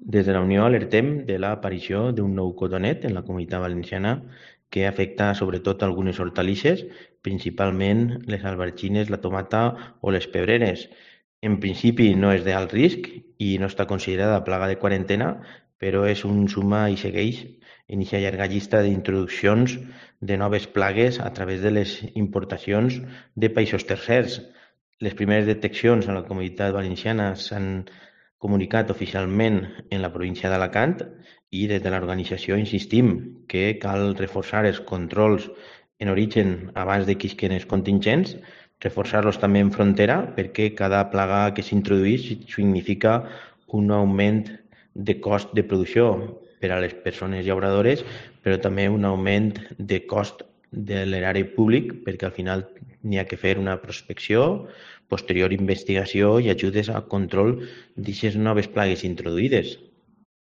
Des de la Unió alertem de l'aparició d'un nou cotonet en la Comunitat Valenciana que afecta sobretot algunes hortalisses, principalment les albergines, la tomata o les pebreres. En principi no és d'alt risc i no està considerada plaga de quarantena, però és un suma i segueix en aquesta llarga llista d'introduccions de noves plagues a través de les importacions de països tercers. Les primeres deteccions a la Comunitat Valenciana s'han comunicat oficialment en la província d'Alacant i des de l'organització insistim que cal reforçar els controls en origen abans de que isquen els contingents, reforçar-los també en frontera perquè cada plaga que s'introdueix significa un augment de cost de producció per a les persones llauradores, però també un augment de cost de l'erari públic perquè al final n'hi ha que fer una prospecció, posterior investigació i ajudes al control d'aquestes noves plagues introduïdes.